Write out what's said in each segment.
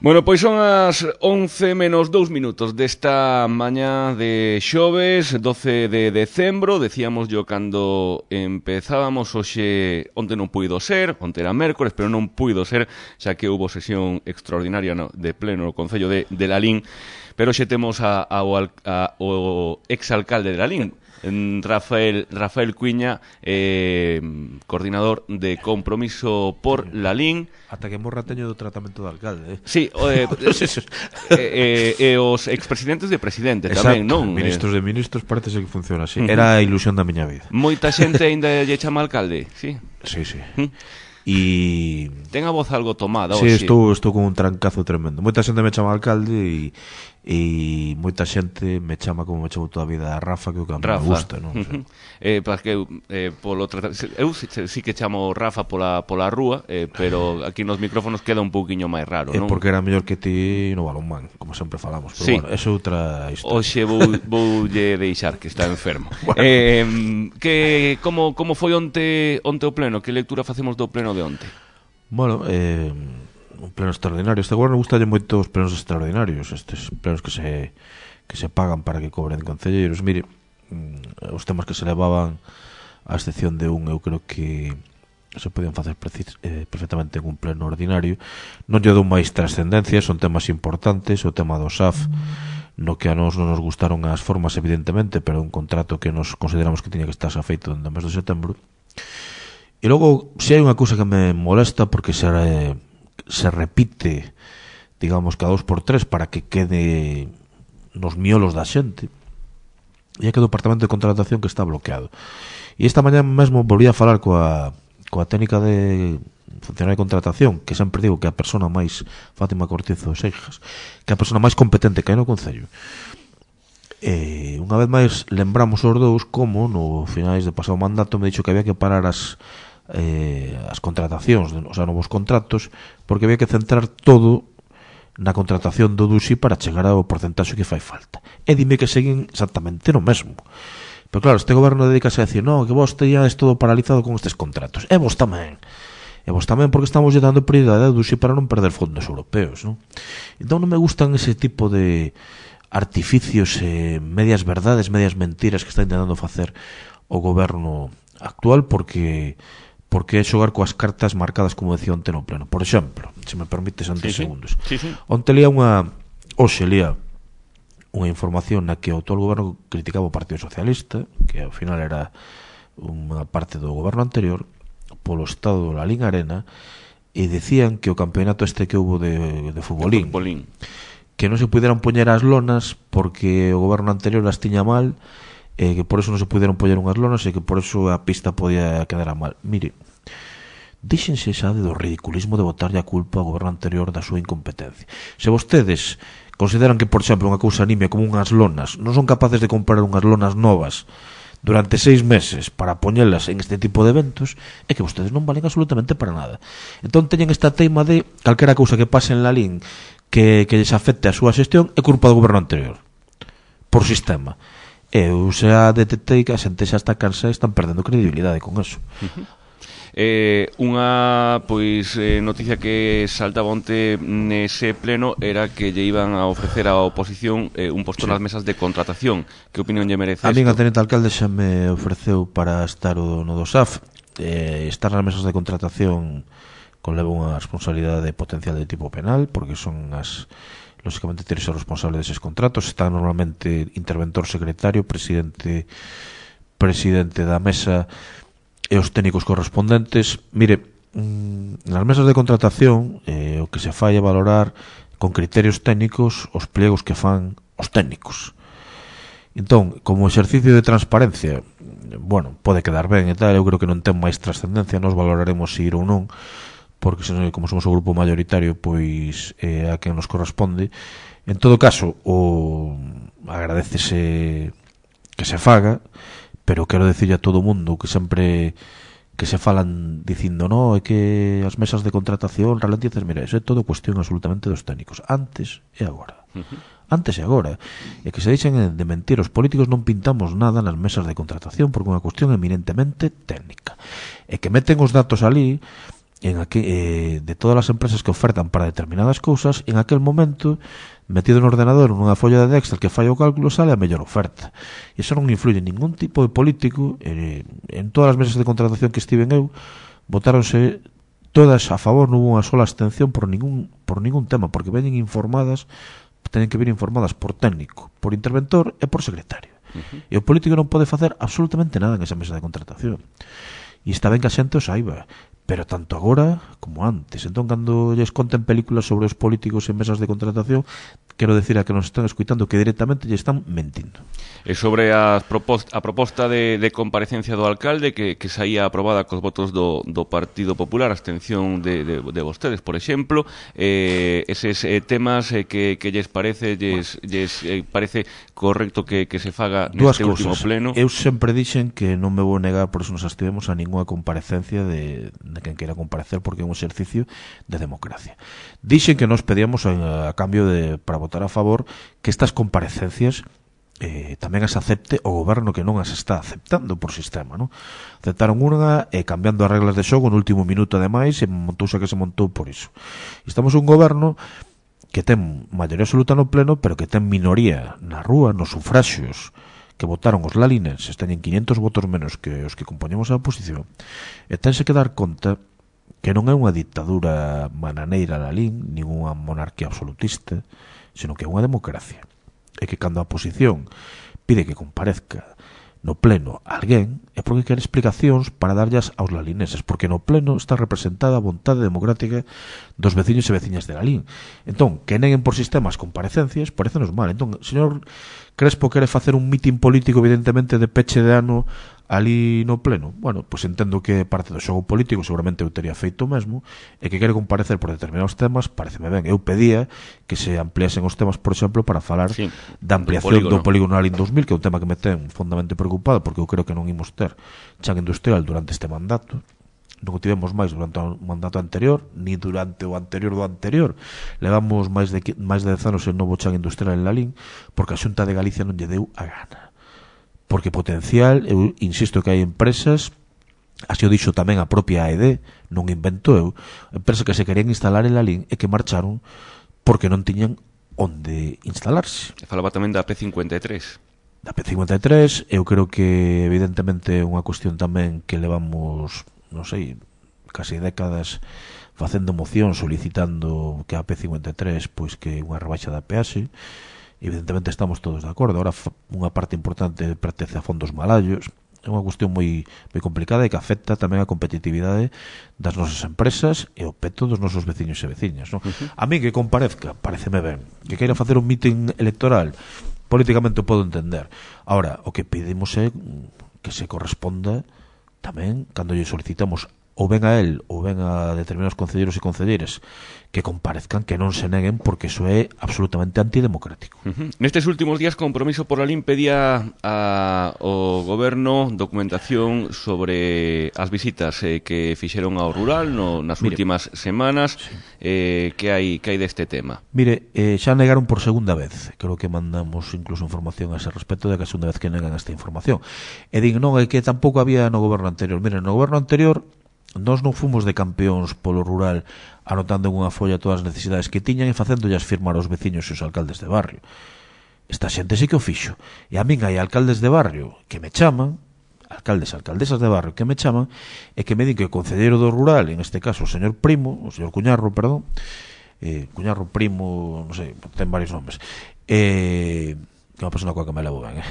Bueno, pois son as 11 menos 2 minutos desta mañá de xoves, 12 de decembro. Decíamos yo cando empezábamos hoxe, onte non puido ser, onte era mércores, pero non puido ser, xa que houve sesión extraordinaria de pleno no Concello de Lalín, pero hoxe temos ao exalcalde de Lalín, Rafael Cuiña, coordinador de Compromiso por Lalín. Ata que morra teño do tratamento de alcalde, Sí, e os expresidentes de presidente. Exacto, tamén, non? Ministros de ministros, parece que funciona así. Era a ilusión da miña vida. Moita xente ainda lle chama alcalde, sí. Sí. E ten a voz algo tomada. Sí, estou con un trancazo tremendo. Moita xente me chama alcalde e moita xente me chama como me chamo toda a vida a Rafa, que é o que me gusta, non? Porque eu sí que chamo Rafa pola rúa, pero aquí nos micrófonos queda un pouquiño máis raro, non? É porque era mellor que ti no balonmán, como sempre falamos. Pero sí. Bueno, é outra historia. Hoxe voulle deixar que está enfermo. Bueno. Como foi onte o pleno? Que lectura facemos do pleno de onte? Bueno, un pleno extraordinario. Este goberno gustalle moito os plenos extraordinarios, estes plenos que se pagan para que cobren concelleiros. Mire, os temas que se levaban, a excepción de un, eu creo que se podían facer perfectamente en un pleno ordinario. Non lle dou máis trascendencia, son temas importantes. O tema do SAF, no que a nos non nos gustaron as formas, evidentemente, pero un contrato que nos consideramos que tiña que estar xa feito dentro do mes de setembro. E logo, se hai unha cousa que me molesta, porque se repite, digamos, cada 2x3 para que quede nos miolos da xente, e é que o departamento de contratación que está bloqueado. E esta mañá mesmo volví a falar coa técnica de funcionario de contratación, que sempre digo que a persona máis, Fátima Cortizo Seixas, que a persona máis competente que hai no Concello. Unha vez máis lembramos os dous como no finais de pasado mandato me dixo que había que parar as contratacións, o sea, novos contratos, porque había que centrar todo na contratación do DUSI para chegar ao porcentaxe que fai falta. E dime que seguen exactamente no mesmo. Pero claro, este goberno dedícase a decir, no, que vos teñades todo paralizado con estes contratos. E vos tamén porque estamos lle dando prioridade ao DUSI para non perder fondos europeos, non? Entón non me gustan ese tipo de artificios, medias verdades, medias mentiras que está intentando facer o goberno actual, porque é xogar coas cartas marcadas, como decía onte no pleno. Por exemplo, se me permites antes segundos. Sí. Onte lía unha información na que o actual goberno criticaba o Partido Socialista, que ao final era unha parte do goberno anterior, polo estado do Lalín Arena, e decían que o campeonato este que houve de futbolín, que non se puderan poñer as lonas porque o goberno anterior as tiña mal, que por eso non se puderon poñer unhas lonas e que por eso a pista podía quedar a mal. Mire, díxense xa do ridiculismo de botarlle a culpa ao goberno anterior da súa incompetencia. Se vostedes consideran que, por exemplo, unha cousa nimia como unhas lonas non son capaces de comprar unhas lonas novas durante 6 meses para poñelas en este tipo de eventos, é que vostedes non valen absolutamente para nada. Entón teñen esta teima de calquera cousa que pase en Lalín que lles afecte a súa xestión é culpa do goberno anterior, por sistema. Eu xa detectei que a xente xa está cansa e están perdendo credibilidade con eso. Unha noticia que saltaba onte nese pleno era que lle iban a ofrecer á oposición un posto nas mesas de contratación. Que opinión lle merece isto? A min a tenente alcalde xa me ofreceu para estar no do SAF, estar nas mesas de contratación conleva unha responsabilidade potencial de tipo penal, porque son lógicamente tienes ser responsable deses contratos. Está normalmente interventor secretario, presidente da mesa e os técnicos correspondentes. Mire, nas mesas de contratación o que se fai é valorar con criterios técnicos os pliegos que fan os técnicos. Entón, como exercicio de transparencia, bueno, pode quedar ben e tal, eu creo que non ten máis trascendencia, nos valoraremos se ir ou non, porque como somos o grupo mayoritario, pois é a quen nos corresponde. En todo caso, agradécese que se faga, pero quero dicirle a todo o mundo que sempre que se falan dicindo, no, é que as mesas de contratación ralentizas, mira, é todo cuestión absolutamente dos técnicos, antes e agora. Antes e agora. E que se deixen de mentir, os políticos non pintamos nada nas mesas de contratación porque é unha cuestión eminentemente técnica. E que meten os datos ali de todas as empresas que ofertan para determinadas cousas, en aquel momento, metido no ordenador nunha folla de Excel que fai o cálculo, sale a mellor oferta. E iso non influye en ningún tipo de político. En todas as mesas de contratación que estiven eu, votáronse todas a favor, non hubo unha sola abstención por ningún tema, porque teñen que vir informadas por técnico, por interventor e por secretario. E o político non pode facer absolutamente nada en esa mesa de contratación. E está ben que a xente o saiba, pero tanto agora como antes. Entón, cando lles conten películas sobre os políticos en mesas de contratación, quero decir a que nos están escuitando que directamente lle están mentindo. E sobre a proposta de comparecencia do alcalde que saía aprobada cos votos do Partido Popular, a abstención de vostedes, por exemplo, eses temas que lles parece parece correcto que se faga neste último pleno? Eu sempre dixen que non me vou negar, por eso nos abstivemos a ninguna comparecencia de quen queira comparecer, porque é un exercicio de democracia. Dixen que nos pedíamos a cambio para votar a favor que estas comparecencias tamén as acepte o goberno, que non as está aceptando por sistema, non? Aceptaron unha cambiando as reglas de xogo no último minuto, ademais, e montouse que se montou por iso. Estamos un goberno que ten maioría absoluta no pleno, pero que ten minoría na rúa, nos sufraxios que votaron os lalinenses, teñen 500 votos menos que os que compoñemos a oposición, e tense que dar conta que non é unha dictadura bananeira Lalín, nin unha monarquía absolutista, sino que é unha democracia. E que cando a oposición pide que comparezca no pleno alguén, é porque quere explicacións para darllas aos lalineses, porque no pleno está representada a vontade democrática dos veciños e veciñas de Lalín. Entón, que neguen por sistemas comparecencias, parecenos mal. Entón, señor Crespo quere facer un mitin político, evidentemente, de peche de ano ali no pleno. Bueno, pois entendo que parte do xogo político, seguramente eu tería feito o mesmo, e que quere comparecer por determinados temas, pareceme ben. Eu pedía que se ampliasen os temas, por exemplo, para falar da ampliación do polígono Lalín 2000, que é un tema que me ten fondamente preocupado, porque eu creo que non imos ter chan industrial durante este mandato. Non o tivemos máis durante o mandato anterior, ni durante o anterior do anterior. Levamos máis de 10 anos en novo chan industrial en Lalín, porque a Xunta de Galicia non lle deu a gana. Porque potencial, eu insisto que hai empresas, así o dixo tamén a propia AED, non invento eu, empresas que se querían instalar en Lalín e que marcharon porque non tiñan onde instalarse. E falaba tamén da P53. Da P53, eu creo que evidentemente é unha cuestión tamén que levamos, non sei, casi décadas facendo moción solicitando que a P53 pois que unha rebaixa da peaxe. Evidentemente estamos todos de acordo. Ahora unha parte importante pertence a fondos malallos. É unha cuestión moi complicada e que afecta tamén a competitividade das nosas empresas e o peto dos nosos veciños e veciñas, non? A mí que comparezca, pareceme ben. Que queira facer un mitin electoral, políticamente o podo entender. Ahora, o que pedimos é que se corresponda tamén, cando lle solicitamos ou ben a él ou ben a determinados concelleiros e concelleiras que comparezcan, que non se neguen, porque iso é absolutamente antidemocrático. Nestes últimos días, Compromiso por Lalín pedía ao goberno documentación sobre as visitas que fixeron ao rural nas últimas semanas. Que hai deste tema? Mire, xa negaron por segunda vez. Creo que mandamos incluso información a ese respecto de que a segunda vez que negan esta información. E din, non, é que tampouco había no goberno anterior. Mire, no goberno anterior nós non fomos de campeóns polo rural anotando en unha folla todas as necesidades que tiñan e facéndollas firmar aos veciños e os alcaldes de barrio. Esta xente sí que o fixo. E a min hai alcaldes de barrio que me chaman, alcaldesas de barrio que me chaman, e que me din que o concelleiro do rural, en este caso o señor Cuñarro, perdón, Cuñarro Primo, non sei, ten varios nomes, que é unha persona coa que me levo ben,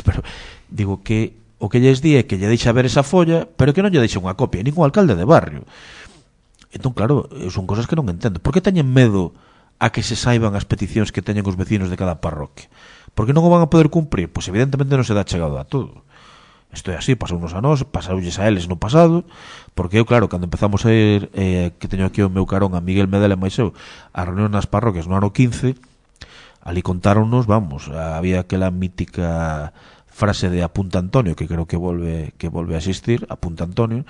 pero digo que o que lles di é que lle deixa ver esa folla, pero que non lle deixa unha copia, ningún alcalde de barrio. Entón, claro, son cosas que non entendo. Por que teñen medo a que se saiban as peticións que teñen os vecinos de cada parroquia? Por que non o van a poder cumprir? Pois evidentemente non se dá chegado a todo. Isto é así, pasounos a nós, pasaulles a eles no pasado, porque eu, claro, cando empezamos a ir, que teño aquí o meu carón a Miguel Medela e máis eu, a reunión nas parroquias no ano 15, ali contáronnos, vamos, había aquela mítica frase de Apunta Antonio, que creo que volve a existir, Apunta Antonio,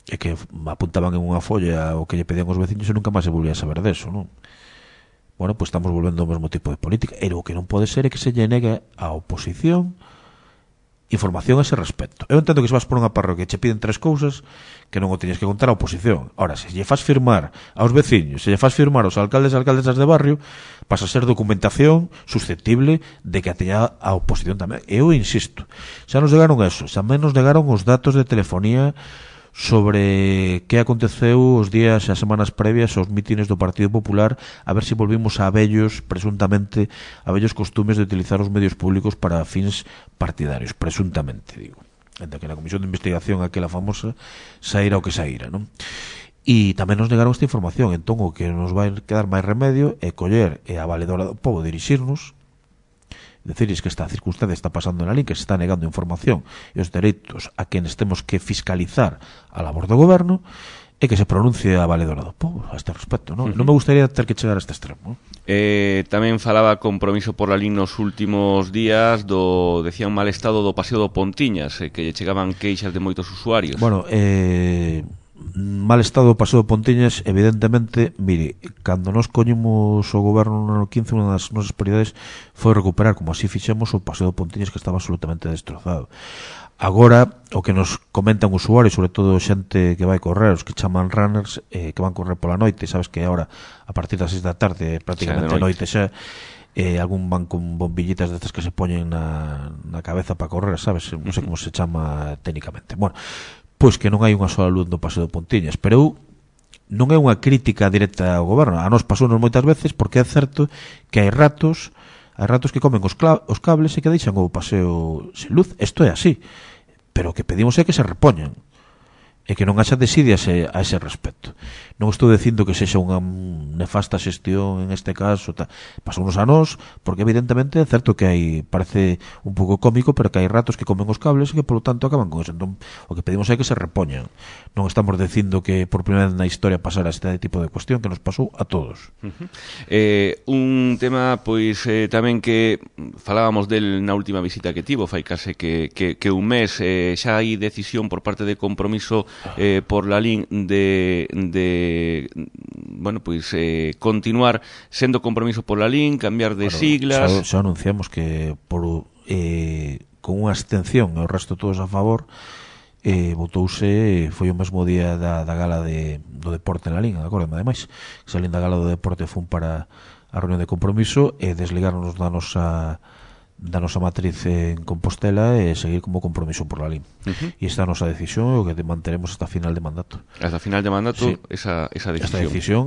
e que apuntaban en unha folla o que lle pedían os veciños e nunca máis se volvía a saber deso, non? Bueno, pois estamos volvendo ao mesmo tipo de política. E o que non pode ser é que se lle negue a oposición información a ese respecto. Eu entendo que se vas por unha parroquia e che piden 3 cousas que non o teñes que contar á oposición. Ora, se lle faz firmar aos veciños, se lle faz firmar aos alcaldes e alcaldesas de barrio, pasa a ser documentación susceptible de que a teña a oposición tamén. Eu insisto, xa nos negaron eso, xa menos negaron os datos de telefonía sobre que aconteceu os días e as semanas previas aos mítines do Partido Popular, a ver se volvimos a vellos, presuntamente, a vellos costumes de utilizar os medios públicos para fins partidarios, presuntamente, digo. Entre que na comisión de investigación aquela famosa saíra o que saíra, non? E tamén nos negaron esta información, entón o que nos vai quedar máis remedio é coller e a valedora do povo dirixirnos, decirles que esta circunstancia está pasando na LIN, que se está negando información e os dereitos a quenes temos que fiscalizar a labor do goberno, e que se pronuncie a valedora do povo a este respecto, non? Non me gustaría ter que chegar a este extremo. Tamén falaba Compromiso por la LIN nos últimos días decía un mal estado do Paseo do Pontiñas, que lle chegaban queixas de moitos usuarios. Bueno, mal estado do Paseo de Pontiñas, evidentemente, mire, cando nos coñimos o goberno no ano 15, unha das nosas prioridades foi recuperar, como así fixemos, o Paseo de Pontiñas, que estaba absolutamente destrozado. Agora, o que nos comentan usuarios, sobre todo xente que vai correr, os que chaman runners, que van correr pola noite, sabes que agora, a partir das 6 da tarde, prácticamente a noite xa, algún van con bombillitas destas que se poñen na cabeza para correr, sabes? Non sei como se chama técnicamente. Bueno, pois que non hai unha sola luz no Paseo de Pontiñas, pero eu non é unha crítica directa ao goberno, a nos pasounos moitas veces, porque é certo que hai ratos que comen os cables e que deixan o paseo sen luz. Isto é así, pero o que pedimos é que se repoñan e que non haxa desidias a ese respecto. Non estou dicindo que sexa unha nefasta xestión en este caso, pasounos a nós, porque evidentemente é certo que hai, parece un pouco cómico, pero que hai ratos que comen os cables e que polo tanto acaban con eso. Entón, o que pedimos é que se repoñan. Non estamos dicindo que por primeira vez na historia pasara este tipo de cuestión que nos pasou a todos. Un tema, pois, tamén que falábamos del na última visita que tivo, fai case que un mes, xa hai decisión por parte de Compromiso por la LIN de bueno, pois continuar sendo Compromiso por la LIN, cambiar de siglas. Xa anunciamos que por con unha abstención e o resto todos a favor, votouse, foi o mesmo día da gala do deporte na LIN, acórdame ademais, que salín da gala do deporte fun para a reunión de Compromiso e desligarnos da nosa matriz en Compostela e seguir como Compromiso por la LIN. E esta é a nosa decisión, o que manteremos hasta final de mandato. Hasta final de mandato, sí. esa decisión. Esta decisión,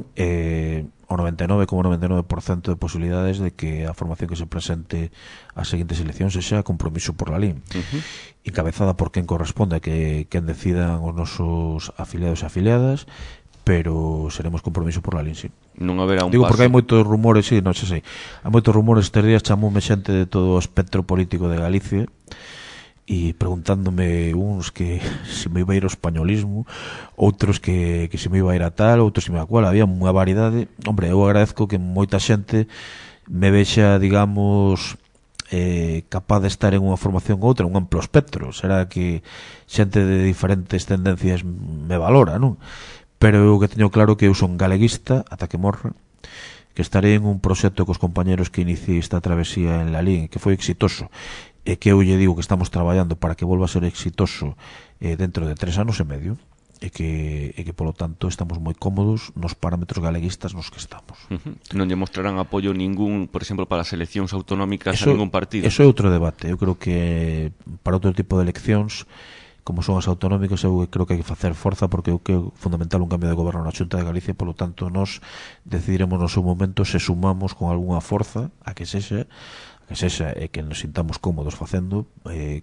o 99,99% de posibilidades de que a formación que se presente ás seguintes eleccións sexa Compromiso por la LIN. Encabezada por quen corresponde, que quen decidan os nosos afiliados e afiliadas, pero seremos Compromiso por la LIN, sí. Non haberá un Digo, paso. porque hai moitos rumores, sí, non sei. Hai moitos rumores estes días, chamoume xente de todo o espectro político de Galicia e preguntándome uns que se me iba a ir ao españolismo, outros que se me iba a ir a tal, outros se me iba a cual. Había unha variedade. Hombre, eu agradezco que moita xente me vexa, digamos, capaz de estar en unha formación ou outra, un amplo espectro. Será que xente de diferentes tendencias me valora, non? Pero eu que teño claro que eu son galeguista ata que morra, que estarei en un proxecto cos compañeros que iniciei esta travesía en la LIN, que foi exitoso, e que eu lle digo que estamos traballando para que volva a ser exitoso dentro de 3 anos e medio, e que polo tanto estamos moi cómodos nos parámetros galeguistas nos que estamos. Non lle mostrarán apoio ningún, por exemplo, para as eleccións autonómicas a ningún partido. Eso é outro debate. Eu creo que para outro tipo de eleccións, como son as autonómicas, eu creo que hai que facer forza, porque eu creo fundamental un cambio de goberno na Xunta de Galicia, polo tanto nós decidiremos no seu momento se sumamos con algunha forza a que sexa e que nos sintamos cómodos facendo,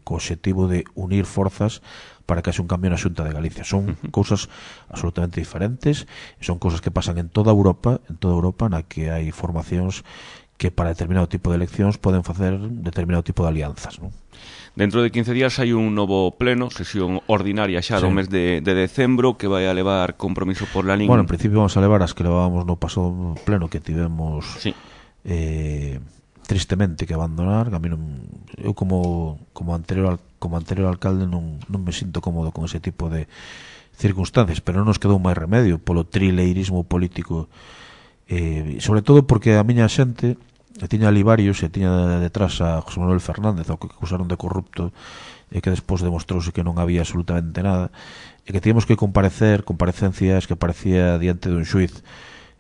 co obxectivo de unir forzas para que haxe un cambio na Xunta de Galicia. Son cousas absolutamente diferentes, son cousas que pasan en toda Europa, na que hai formacións que para determinado tipo de eleccións poden facer determinado tipo de alianzas, non? Dentro de 15 días hai un novo pleno, sesión ordinaria xa do mes de decembro, que vai a levar Compromiso por la LIN. Bueno, en principio vamos a levar as que levábamos no pasado pleno que tivemos tristemente que abandonar. Que a mí eu como anterior alcalde non me sinto cómodo con ese tipo de circunstancias, pero non nos quedou máis remedio polo trileirismo político, sobre todo porque a miña xente e tiña ali varios, e tiña detrás a José Manuel Fernández, ao que acusaron de corrupto, e que despois demostrouse que non había absolutamente nada, e que tíamos que comparecencias que aparecía diante dun xuiz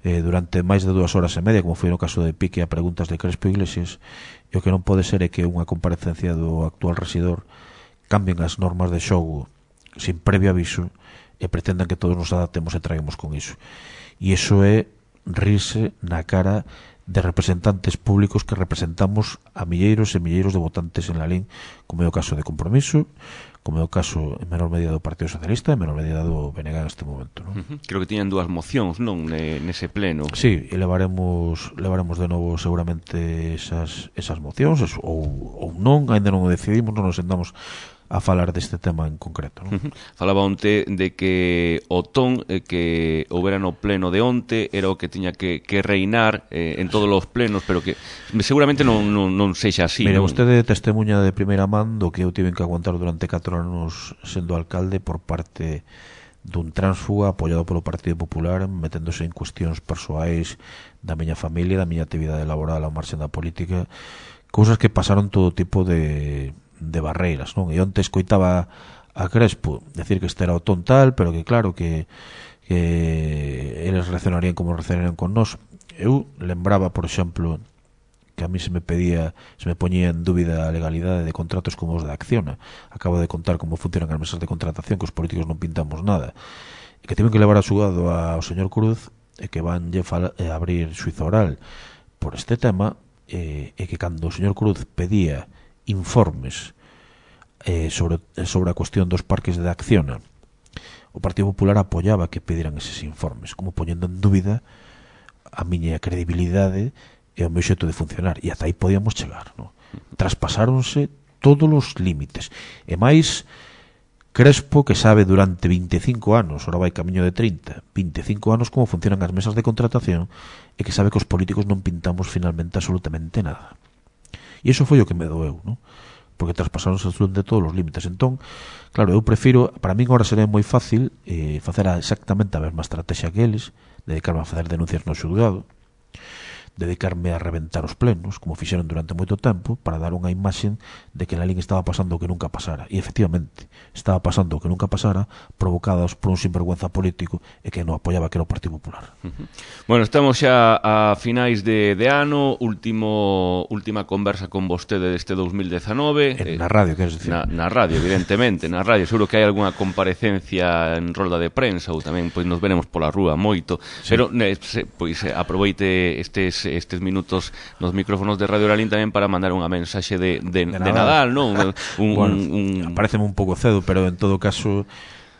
durante máis de 2 horas e media, como foi no caso de Pique a preguntas de Crespo Iglesias, e o que non pode ser é que unha comparecencia do actual rexidor cambien as normas de xogo sin previo aviso e pretendan que todos nos adaptemos e traemos con iso. E iso é rirse na cara de representantes públicos que representamos a milleiros e milleiros de votantes en Lalín, como é o caso de Compromiso, como é o caso en menor medida do Partido Socialista e en menor medida do BNG en este momento, non? Creo que tiñan 2 mocións, non, nese pleno. Sí, e levaremos de novo seguramente esas mocións, ou non, ainda non o decidimos, non nos sentamos a falar deste tema en concreto, non? Falaba onte de que o ton que houbera no pleno de onte era o que tiña que reinar en todos os plenos, pero que seguramente non sexa así. Mire, non? vostede testemunha de primeira man do que eu tiven que aguantar durante 4 anos sendo alcalde por parte dun tránsfuga apoiado polo Partido Popular, meténdose en cuestións persoais da miña familia, da miña actividade laboral ao marxen da política, cousas que pasaron todo tipo de barreiras, non? E onte escoitaba a Crespo decir que este era o ton tal, pero que claro que eles reaccionarían como reaccionarían con nós. Eu lembraba, por exemplo, que a mí se me poñía en dúbida a legalidade de contratos como os de Acciona. Acabo de contar como funcionan as mesas de contratación, que os políticos non pintamos nada, e que tiven que levar a xulgado ao señor Cruz, e que vanlle abrir xuizo oral por este tema, e que cando o señor Cruz pedía informes sobre a cuestión dos parques de Acciona, o Partido Popular apoiaba que pediran eses informes, como poñendo en dúbida a miña credibilidade e o meu xeito de funcionar, e ata aí podíamos chegar, non? Traspasáronse todos os límites, e máis Crespo, que sabe durante 25 anos, ora vai camiño de 30, 25 anos como funcionan as mesas de contratación, e que sabe que os políticos non pintamos finalmente absolutamente nada. E iso foi o que me doeu, non? Porque traspasaronse absolutamente todos os límites. Entón, claro, eu prefiro, para min agora sería moi fácil facer exactamente a mesma estrategia que eles, dedicarme a facer denuncias no xulgado, dedicarme a reventar os plenos, como fixeron durante moito tempo, para dar unha imaxen de que na Lalín estaba pasando o que nunca pasara. E efectivamente, estaba pasando o que nunca pasara, provocadas por un sinvergüenza político e que non apoiaba, que era o Partido Popular. Bueno, estamos xa a finais de ano, última conversa con vostede deste 2019. Na radio, queres dicir? Na radio, evidentemente, na radio. Seguro que hai algunha comparecencia en rolda de prensa ou tamén pois nos veremos pola rúa moito. Sí. Pero pois aproveite estes minutos nos micrófonos de Radio Lalín tamén para mandar unha mensaxe de Nadal, non? Pareceme un pouco cedo, pero en todo caso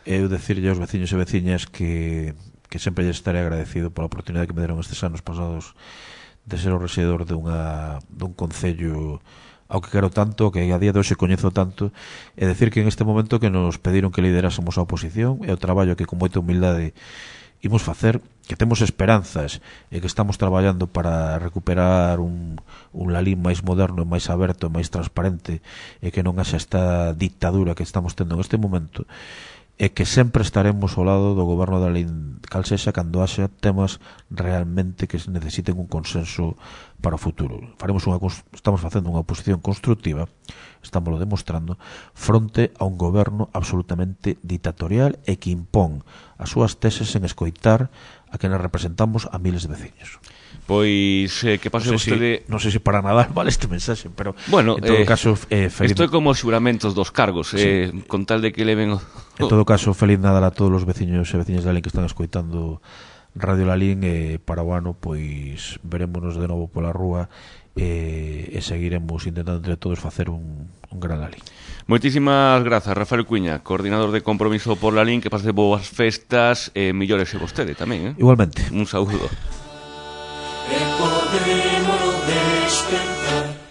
eu decirlle aos veciños e veciñas que sempre lle estaré agradecido pola oportunidade que me deron estes anos pasados de ser o rexedor dun concello ao que quero tanto, que a día de hoxe coñezo tanto, e decir que en este momento que nos pediron que liderásemos a oposición e o traballo que con moita humildade imos facer, que temos esperanzas e que estamos traballando para recuperar un Lalín máis moderno, máis aberto, máis transparente, e que non haxa esta dictadura que estamos tendo en este momento, e que sempre estaremos ao lado do goberno da Lalín cal sexa cando haxa temas realmente que necesiten un consenso para o futuro. Estamos facendo unha oposición constructiva, estamos demostrando, fronte a un goberno absolutamente dictatorial e que impón as súas teses en escoitar a que nos representamos a miles de veciños. Pois que pase vostede... Non sei se para Nadal vale este mensaxe, pero bueno, en todo caso feliz... Isto é como os xuramentos dos cargos, sí. Con tal de que leven... En todo caso, feliz Nadal a todos os veciños e veciñas de Lalín que están escoitando Radio Lalín, e para o ano pois verémonos de novo pola rúa e seguiremos intentando entre todos facer un gran Lalín. Moitísimas grazas, Rafael Cuiña, coordinador de Compromiso por Lalín, que pase boas festas e millores e vostede tamén, Igualmente. Un saúdo. E podemos despertar